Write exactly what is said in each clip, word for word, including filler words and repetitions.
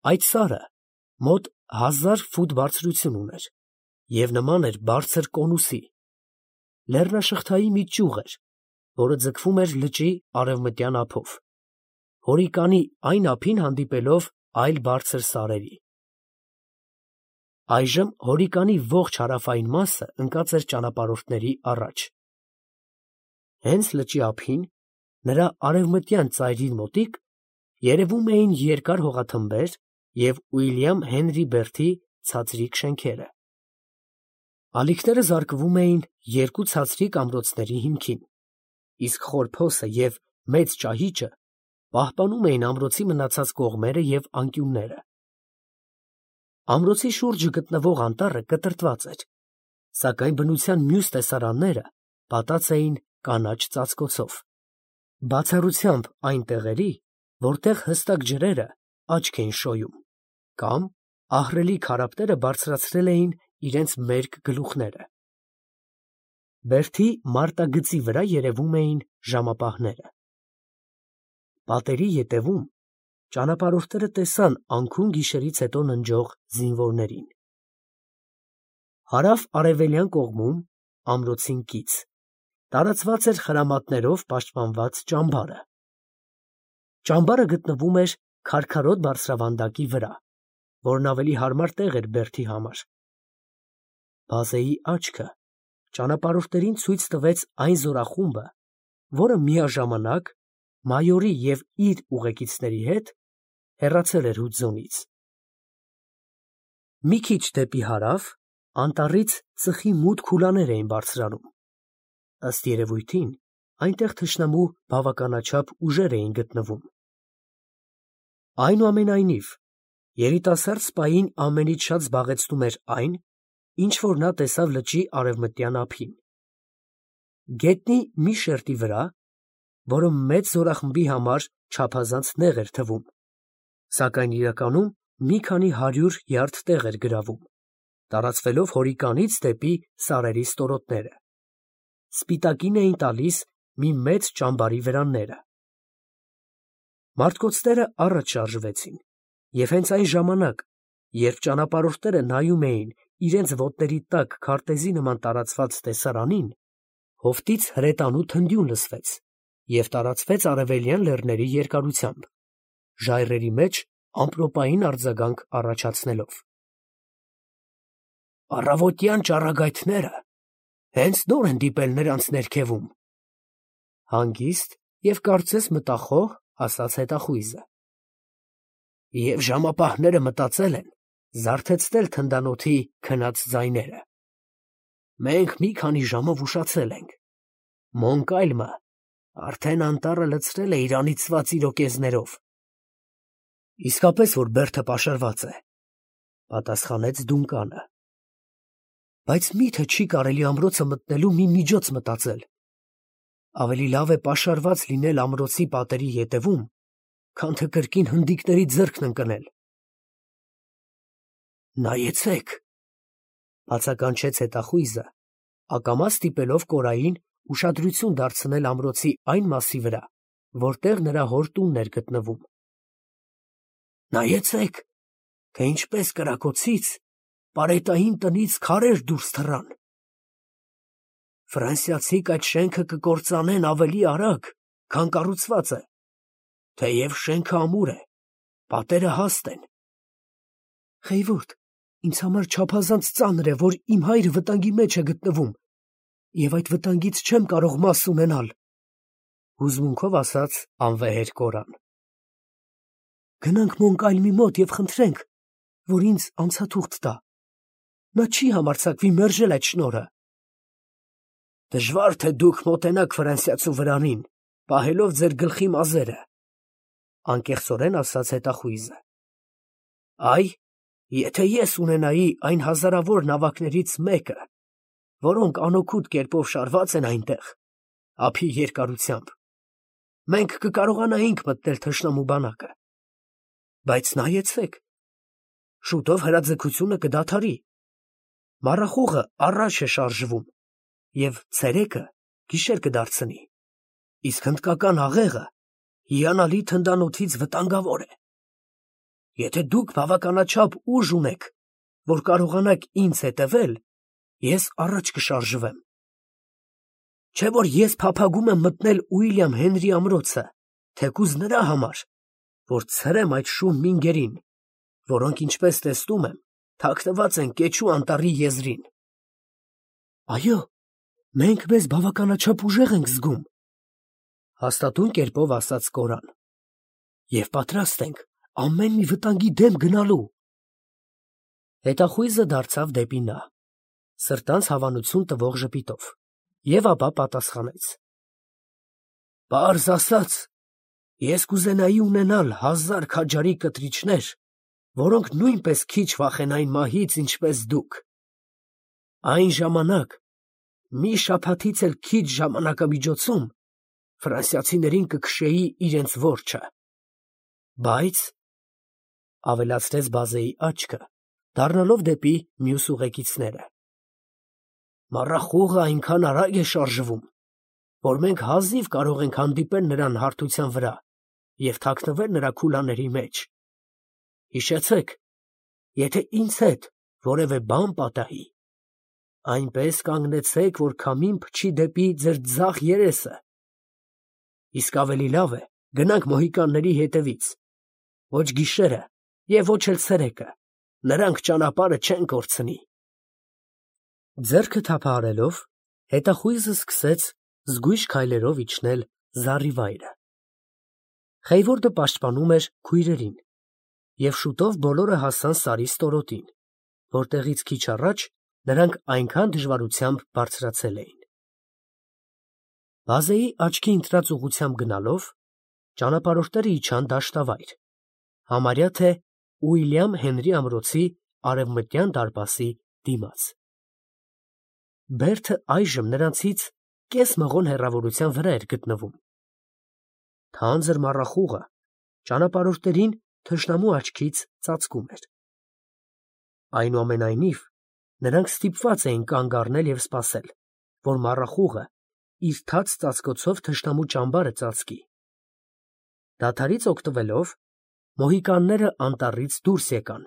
Այդ սարը մոտ հազար ֆուտ բարձրություն ուներ և նման էր բարձր կոնուսի. լեռնաշղթայի մի ճյուղ էր, որը ձգվում էր լճի արևմտյան ափով, հորիկանի այն ափին հանդիպելով այլ բարձր սարերի։ Այժմ հորիկանի ողջ հարավային մասը ընկած էր ճանապարհորդների առաջ։ Հենց լճի ափին, նրա արևմտյան ծայրին մոտիկ, երևում էին երկար հողաթմբեր և Ուիլյամ Հենրի Բերթի ցածրիկ շենքերը։ Ալիքները զարկվում էին երկու ցածրիկ ամրոցների հիմքին, իսկ խոր փոսը և մեծ ճահիճը պահպանում էին ամրոցի մնացած կողմերը և անկյունները։ Ամրոցի շուրջը գտնվող անտառը կտրտված էր, սակայն բնության մյուս տեսարանները պատած էին կանաչ ծածկոցով, բացառությամբ այն տեղերի, որտեղ հստակ ջրերը աչք էին շոյում, կամ ահռելի քարափտերը բարձրացրել էին իրենց մերկ գլուխները։ Բերդի մարտագծի վրա երևում էին ժամապահները։ Պատերի ետևում ճանապարհորդները տեսան անքուն գիշերից հետո ննջող զինվորներին։ Հարավ֊արևելյան կողմում, ամրոցին կից, տարածված էր խրամատներով պաշտպանված ճամբարը։ Ճամբարը գտնվում էր քարքարոտ բարձրավանդակի վրա, որն ավելի հարմար տեղ էր Բերդի համար։ Բազեի աչքը ճանապարհորդներին ցույց տվեց այն զորախումբը, որը միաժամանակ մայորի և իր ուղեկիցների հետ հեռացել էր Հուդզոնից։ Մի քիչ դեպի հարավ անտառից ծխի մութ քուլաներ էին բարձրանում. ըստ երևույթին, այնտեղ թշնամու բավականաչափ ուժեր էին գտնվում։ Այնուամենայնիվ, երիտասարդ սպային ամենից շատ զբաղեցնում էր այն, ինչ որ նա տեսավ լճի արևմտյան ափին։ Գետնի մի շերտի վրա, որը մեծ զորախմբի համար չափազանց նեղ էր թվում, սակայն իրականում մի քանի հարյուր յարդ տեղ էր գրավում, տարածվելով հորիկանից դեպի սարերի ստորոտները, սպիտակին էին տալիս մի մեծ ճամբարի վրանները։ Մարտկոցները առաջ շարժվեցին, և հենց այն ժամանակ, երբ ճանապարհորդները նայում էին իրենց ոտների տակ քարտեզի նման տարածված տեսարանին, հովտից հրետանու թնդյուն լսվեց և տարածվեց արևելյան լեռների երկարությամբ, ժայռերի մեջ ամպրոպային արձագանք առաջացնելով։ «Առավոտյան ճառագայթները հենց նոր են դիպել նրանց ներքևում», ֊ հանգիստ և կարծես մտախոհ ասաց հետախույզը։ «Եվ ժամապահները մտածել են զարթեցնել թնդանոթի քնած ձայները։ Մենք մի քանի ժամով ուշացել ենք. Մոնկալմը արդեն անտառը լցրել է իր անիծված իրոկեզներով»։ «Իսկապես որ Բերդը պաշարված է, ֊ պատասխանեց Դունկանը, ֊ բայց մի՞թե չի կարելի ամրոցը մտնելու մի միջոց մտածել։ Ավելի լավ է պաշարված լինել ամրոցի պատերի ետևում, քան թե կրկին հնդիկների ձեռքն ընկնել»։ «Նայեցեք, ֊ բացականչեց հետախույզը, ակամա ստիպելով կորային ուշադրություն դարձնել ամրոցի այն մասի վրա, որտեղ նրա հոր տունն էր գտնվում։ Նայեցեք, թե ինչպես կրակոցից պարետային տնից քարեր դուրս թռան։ Ֆրանսիացիք այդ շենքը կկործանեն ավելի արագ, քան կառուցված է, թեև շենքը ամուր է, պատերը հաստ են։ Խեյվորդ, ինձ համար չափազանց ծանր է, որ իմ հայրը վտանգի մեջ է գտնվում, և այդ վտանգից չեմ կարող մաս ունենալ, ֊ հուզմունքով ասաց անվեհեր կորան։ Գնանք Մոնկալմի մոտ և խնդրենք, որ ինձ անցաթուղթ տա. նա չի համարձակվի մերժել այդ շնորհը։ Դժվար թե դուք մոտենաք ֆրանսիացու վրանին, պահելով ձեր գլխի մազերը, ֊ անկեղծորեն ասաց հետախույզը։ Այ, եթե ես ունենայի այն հազարավոր նավակներից մեկը, որոնք անօգուտ կերպով շարված են այնտեղ, ափի երկարությամբ, մենք կկարողանայինք մտնել թշնամու բանակը։ Բայց նայեցեք, շուտով հրաձգությունը կդադարի, մառախուղը առաջ է շարժվում, և ցերեկը գիշեր կդարձնի, իսկ հնդկական աղեղը հիանալի թնդանոթից վտանգավոր է։ Եթե դուք բավականաչափ ուժ ունեք, որ կարողանաք ինձ հետևել, ես առաջ կշարժվեմ։ Չէ՞ որ ես փափագում եմ մտնել Ուիլյամ Հենրի ամրոցը, թեկուզ նրա համար, որ ցրեմ այդ շուն մինգերին, որոնք, ինչպես տեսնում եմ, թաքնված են Կեչու անտառի եզրին։ Այո, մենք մեզ բավականաչափ ուժեղ ենք զգում, հաստատուն կերպով ասաց Կորան, և պատրաստ ենք ամեն մի վտանգի դեմ գնալու։ Հետախույզը դարձավ դեպի նա, սրտանց հավանություն տվող ժպիտով, և ապա պատասխանեց. Պարզ ասած, ես կուզենայի ունենալ հազար քաջարի կտրիչներ, որոնք նույնպես քիչ վախենային մահից, ինչպես դուք։ Այն ժամանակ, մի շաբաթից էլ քիչ ժամանակամիջոցում, ֆրանսիացիներին կքշեի իրենց որջը։ Բայց, ավելացրեց բազեի աչքը, դառնալով դեպի մյուս ուղեկիցները, մառախուղը այնքան արագ է շարժվում, որ մենք հազիվ կարող ենք հանդիպել նրան հարթության վրա և թաքնվել նրա քուլաների մեջ։ Հիշեցեք, եթե ինձ հետ որևէ բան պատահի, այնպես կանգնեցեք, որ քամին փչի դեպի ձեր ձախ երեսը։ Իսկ ավելի լավ է գնանք մոհիկանների հետևից, ոչ գիշերը և ոչ էլ ցերեկը, նրանք ճանապարհը չեն կորցնի։ Ձեռքը թափահարելով, հետախույզը սկսեց զգույշ քայլերով իջնել զառիվայրը։ Խեյվորդը պաշտպանում էր քույրերին, և շուտով բոլորը հասան սարի ստորոտին, որտեղից քիչ առաջ նրանք այնքան դժվարությամբ բարձրացել էին։ Բազեի աչքի ընտրած ուղղությամբ գնալով, ճանապարհորդները իջան դաշտավայր, համարյա թե Ուիլյամ Հենրի ամրոցի արևմտյան դարպասի դիմաց։ Բերդը այժմ նրանցից կես մղոն հեռավորության վրա էր գտնվում։ Թանձր մառախուղը ճանապարհորդներին թշնամու աչքից ծածկում էր։ Այնուամենայնիվ, նրանք ստիպված էին կանգ առնել և սպասել, որ մառախուղը իր թաց ծածկոցով թշնամու ճամբարը ծածկի։ Դադարից օգտվելով, մոհիկանները անտառից դուրս եկան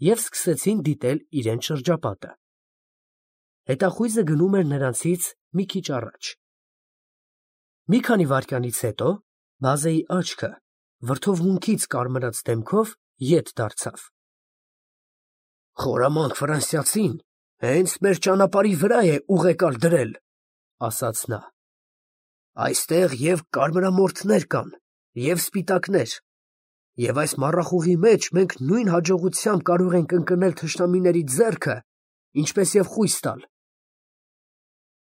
և սկսեցին դիտել իրենց շրջապատը։ Հետախույզը գնում էր նրանցից մի քիչ առաջ։ Մի քանի վայրկյանից հետո բազեի աչքը վրդովմունքից կարմրած դեմքով ետ դարձավ։ Խորամանկ ֆրանսիացին հենց մեր ճանապարհի վրա է ուղեկալ դրել, ասաց նա։ Այստեղ և կարմրամորթներ կան, և սպիտակներ, և այս մառախուղի մեջ մենք նույն հաջողությամբ կարող ենք ընկնել թշնամիների ձեռքը, ինչպես և խույս տալ։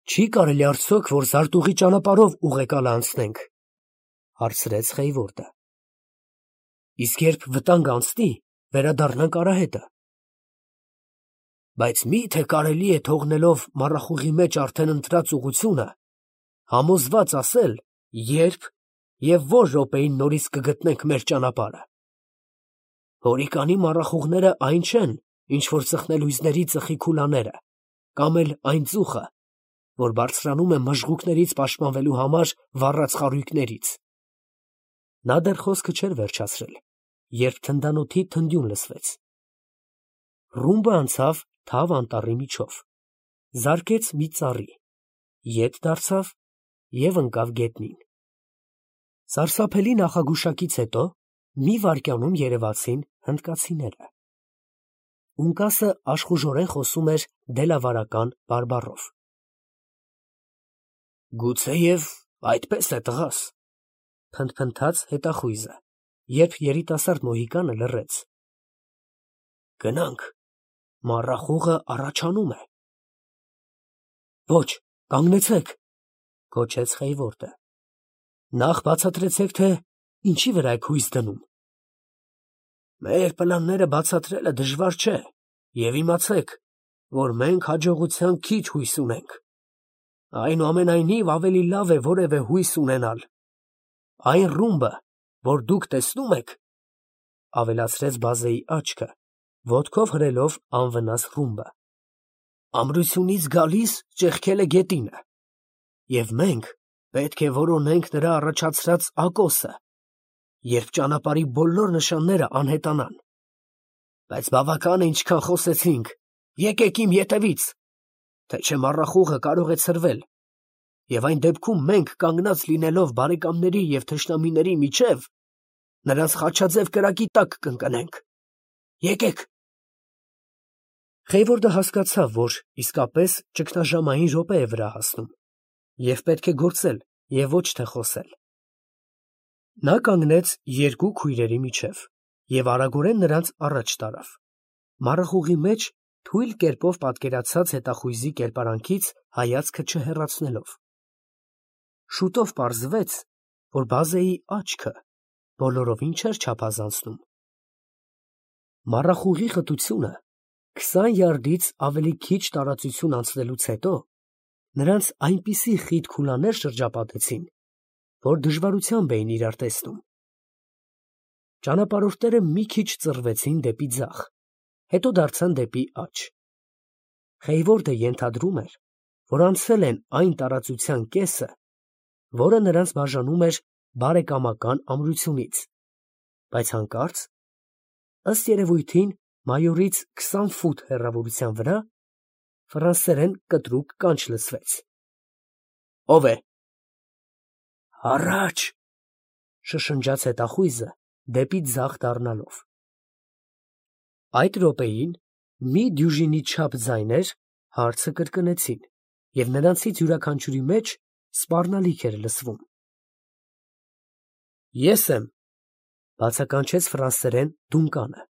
Չի՞ կարելի արդյոք, որ զարտուղի ճանապարհով ուղեկալը անցնենք, հարցրեց Խեյվորդը։ Իսկ երբ վտանգ անցնի, վերադառնանք արահետը։ Բայց մի՞թե կարելի է թողնելով մառախուղի մեջ արդեն ընտրած ուղղությունը, համոզված ասել, երբ և որ րոպեին նորից կգտնենք մեր ճանապարհը։ Հորիկանի մառախուղները այն չեն, ինչ որ ծխնելույզների ծխի քուլաները, կամ էլ այն ծուխը, որ բարձրանում է մժղուկներից պաշտպանվելու համար վառած խարույկներից։ Նա դեռ խոսքը չէր վերջացրել, երբ թնդանոթի թնդյուն լսվեց։ Ռումբը անցավ թավ անտառի միջով, զարկեց մի ծառի, ետ դարձավ և ընկավ գետնին։ Սարսափելի նախագուշակից հետո մի վայրկյանում երևացին հնդկացիները։ Ունկասը աշխուժորեն խոսում էր դելավարական բարբառով։ Գուցեև այդպես է, տղաս, փնթփնթաց հետախույզը, երբ երիտասարդ մոհիկանը լռեց։ Գնանք, մառախուղը առաջանում է։ Ոչ, կանգնեցեք, գոչեց Խեյվորդը։ Նախ բացատրեցեք, թե ինչի վրա եք հույս դնում։ Մեր պլանները բացատրելը դժվար չէ, և իմացեք, որ մենք հաջողության քիչ հույս ունենք։ Այնուամենայնիվ ավելի լավ է որևէ հույս ունենալ։ Այն ռումբը, որ դուք տեսնում եք, ավելացրեց բազեի աչքը, ոտքով հրելով անվնաս ռումբը, ամրությունից գալիս ճեղքել է գետինը, և մենք պետք է որոնենք նրա առաջացրած ակոսը, երբ ճանապարհի բոլոր նշանները անհետանան։ Բայց բավական է ինչքան խոսեցինք, եկեք իմ ետևից, թե չէ մառախուղը կարող է ցրվել, և այն դեպքում մենք կանգնած լինելով բարեկամների և թշնամիների միջև, նրանց խաչաձև կրակի տակ կընկնենք, եկեք։ Խեյվորդը հասկացավ, որ իսկապես ճգնաժամային րոպե է վրա հասնում, և պետք է գործել և ոչ թե խոսել։ Նա կանգնեց երկու քույրերի միջև և արագորեն նրանց առաջ տարավ, մառախուղի մեջ թույլ կերպով պատկերացած հետախույզի կերպարանքից հայացքը չհեռացնելով։ Շուտով պարզվեց, որ բազեի աչքը բոլորովին չէր չափազանցնում։ Մառախուղի խտությունը քսան յարդից ավելի քիչ տարածություն անցնելուց հետո նրանց այնպիսի խիտ քուլաներ շրջապատեցին, որ դժվարությամբ էին իրար տեսնում։ Ճանապարհորդները մի քիչ ծռվեցին դեպի ձախ, հետո դարձան դեպի աջ։ Խեյվորդը ենթադրում էր, որ անցել են այն տարածության կեսը, որը նրանց բաժանում էր բարեկամական ամրությունից, բայց հանկարծ, ըստ երևույթին, մայորից քսան ֆուտ հեռավորության վրա ֆրանսերեն կտրուկ կանչ լսվեց։ ո՞վ է։ Առաջ, շշնջաց հետախույզը դեպի ձախ դառնալով։ Այդ րոպեին մի դյուժինի չափ ձայներ հարցը կրկնեցին, և նրանցից յուրաքանչյուրի մեջ սպառնալիք էր լսվում։ Ես եմ, բացականչեց ֆրանսերեն Դունկանը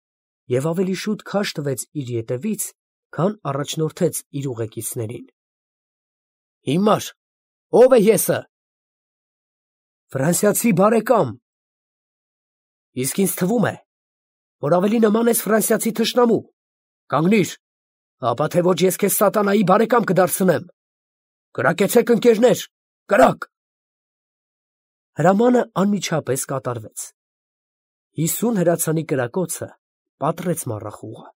և ավելի շուտ քաշ տվեց իր ետևից, քան առաջնորդեց իր ուղեկիցներին։ Հիմար, ո՞վ է եսը։ Ֆրանսիացի բարեկամ։ Իսկ ինձ թվում է, որ ավելի նման ես ֆրանսիացի թշնամու։ Կանգնիր, ապա թե ոչ ես քեզ սատանայի բարեկամ կդարձնեմ։ Կրակեցեք, ընկերներ, կրակ։ Հրամանը անմիջապես կատարվեց։ Հիսուն հրացանի կրակոցը պատռեց մառախուղը։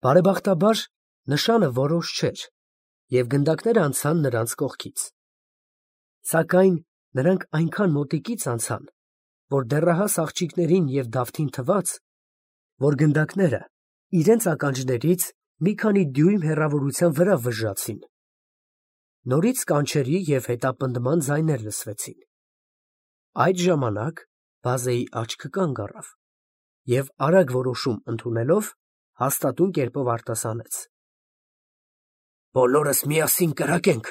Բարեբախտաբար նշանը որոշ չէր, և գնդակները անցան նրանց կողքից։ Սակայն նրանք այնքան մոտիկից անցան, որ դեռահաս աղջիկներին և Դավթին թվաց, որ գնդակները իրենց ականջներից մի քանի դյույմ հեռավորության վրա վժժացին։ Նորից կանչերի և հետապնդման ձայներ լսվեցին։ Այդ ժամանակ բազեի աչքը կանգ առավ և, արագ որոշում ընդունելով, հաստատուն կերպով արտասանեց. Բոլորս միասին կրակենք,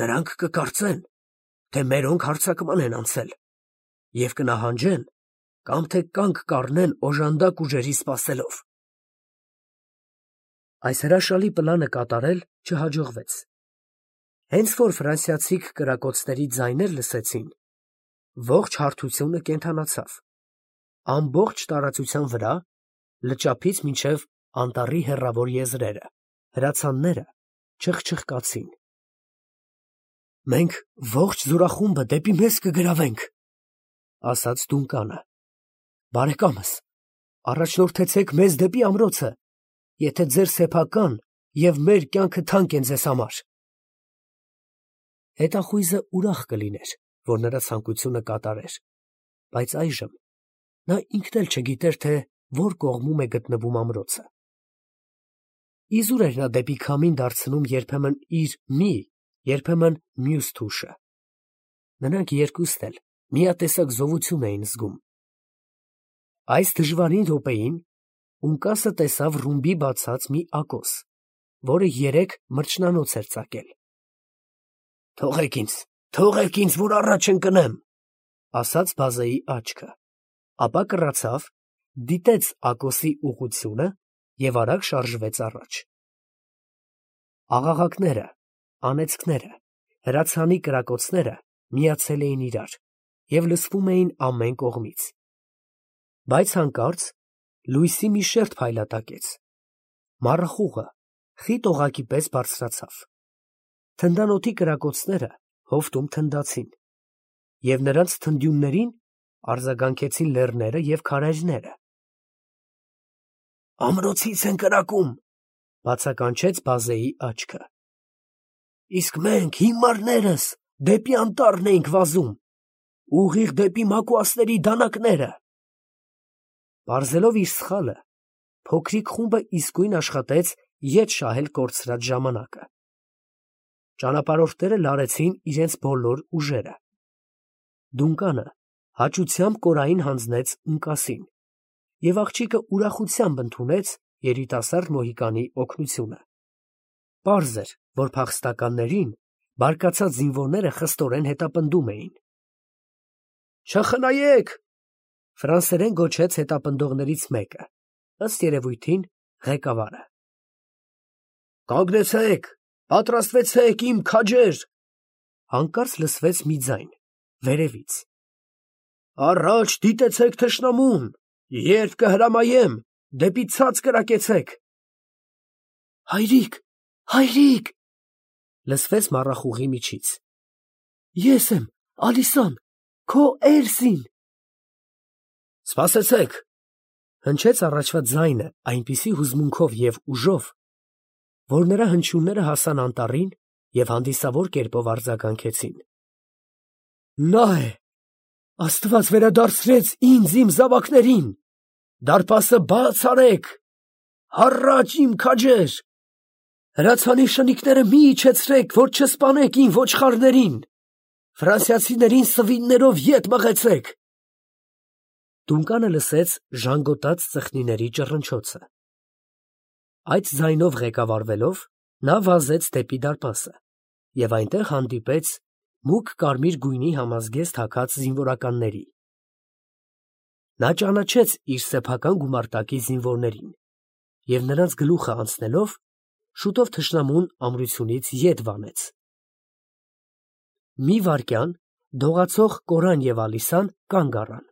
նրանք կկարծեն, թե մերոնք հարձակման են անցել և կնահանջեն կամ թե կանգ կառնեն օժանդակ ուժերի սպասելով։ Այս հրաշալի պլանը կատարել չհաջողվեց։ Հենց որ ֆրանսիացիք կրակոցների ձայներ լսեցին, ողջ հարթությունը կենդանացավ։ Ամբողջ տարածության վրա, լճափից մինչև անտառի հեռավոր եզրերը, հրացանները չխչխկացին։ Մենք ողջ զորախումբը դեպի մեզ կգրավենք, ասաց Դունկանը։ Բարեկամս, առաջնորդեցեք մեզ դեպի ամրոցը, եթե ձեր սեփական և մեր կյանքը թանկ են ձեզ համար։ Հետախույզը ուրախ կլիներ, որ նրա ցանկությունը կատարեր, բայց այժմ նա ինքն էլ չգիտեր, թե որ կողմում է գտնվում ամրոցը։ Իզուր էր նա դեպի քամին դարձնում երբեմն իր մի, երբեմն մյուս թուշը։ Նրանք երկուստ էլ միատեսակ զովություն էին զգում։ Այս դժվարին րոպեին Ունկասը տեսավ ռումբի բացած մի ակոս, որը երեկ մրջնանոց էր ծակել։ Թողեք ինձ, թողեք ինձ, որ առաջ ընկնեմ, ասաց բազեի աչքը, ապա կռացավ, դիտեց ակոսի ուղղությունը և արագ շարժվեց առաջ։ Աղաղակները, անեծքները, հրացանի կրակոցները միացել էին իրար և լսվում էին ամեն կողմից։ Բայց հանկարծ լույսի մի շերտ փայլատակեց։ Մառախուղը խիտ օղակի պես բարձրացավ։ Թնդանոթի կրակոցները հովտում թնդացին, և նրանց թնդյուններին արձագանքեցին լեռները և քարայրները։ Ամրոցից են կրակում, բացականչեց բազեի աչքը։ Իսկ մենք, հիմարներս, դեպի անտառն էինք վազում, ուղիղ դեպի մակուասների դանակները։ Պարզելով իր սխալը, փոքրիկ խումբը իսկույն աշխատեց ետ շահել կորցրած ժամանակը։ Ճանապարհորդները լարեցին իրենց բոլոր ուժերը։ Դունկանը հաճությամբ կորային հանձնեց Ունկասին, և աղջիկը ուրախությամբ ընդունեց երիտասարդ Մոհիկանի օգնությունը։ Պարզ էր, որ փախստականներին բարկացած զինվորները խստորեն հետապնդում էին։ «Չխնայեք», ֆրանսերեն գոչեց հետապնդողներից մեկը, ըստ երևույթին ղեկավարը։ «Կանգնեցեք, պատրաստվեցեք, իմ քաջեր», հանկարծ լսվեց մի ձայն վերևից։ «Առաջ դիտեցեք թշնամուն, երբ կհրամայեմ, դեպի ցած կրակեցեք»։ «Հայրիկ, հայրիկ», լսվեց մառախուղի միջից։ «Ես եմ, Ալիսան, քո Էլսին»։ «Սպասեցեք», հնչեց առաջվա ձայնը այնպիսի հուզմունքով և ուժով, որ նրա հնչյունները հասան անտառին և հանդիսավոր կերպով արձագանքեցին։ «Նա է, Աստված վերադարձրեց ինձ իմ զավակներին, դարպասը բաց արեք, հառաչ իմ քաջեր, հրացանի շնիկները մի իջեցրեք, որ չսպանեք իմ ոչխարներին, ֆրանսիացիներին սվիններով ետ մղեցեք»։ Դունկանը լսեց ժանգոտած ծխնիների ճռնչոցը։ Այդ ձայնով ղեկավարվելով, նա վազեց դեպի դարպասը և այնտեղ հանդիպեց մուգ կարմիր գույնի համազգեստ հագած զինվորականների։ Նա ճանաչեց իր սեփական գումարտակի զինվորներին և նրանց գլուխը անցնելով, շուտով թշնամուն ամրությունից ետ վանեց։ Մի վայրկյան դողացող Կորան և Ալիսան կանգ առան։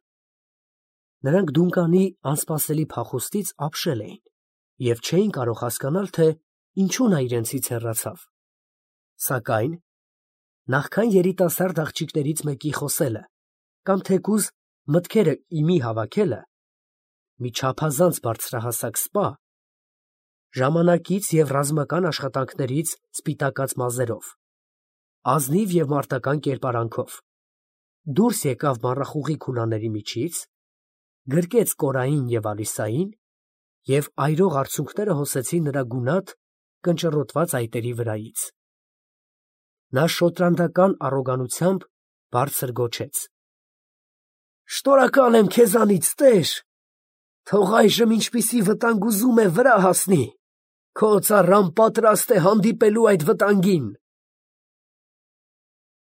Նրանք Դունկանի անսպասելի փախուստից ապշել էին և չէին կարող հասկանալ, թե ինչու նա իրենցից հեռացավ։ Սակայն նախքան երիտասարդ աղջիկներից մեկի խոսելը կամ թեկուզ մտքերը իմի հավաքելը, մի չափազանց բարձրահասակ սպա, ժամանակից և ռազմական աշխատանքներից սպիտակած մազերով, ազնիվ և մարտական կերպարանքով, դուրս եկավ մառախուղի քունաների միջից, գրկեց Կորային և Ալիսային և այրող արցունքները հոսեցին նրա գունատ, կնճռոտված այտերի վրայից։ Նա շոտրանդական առոգանությամբ բարձր գոչեց. «Շնորհակալ եմ քեզանից, տեր, թող այժմ ինչպիսի վտանգ ուզում է վրա հասնի, քո ծառան պատրաստ է հանդիպելու այդ վտանգին»։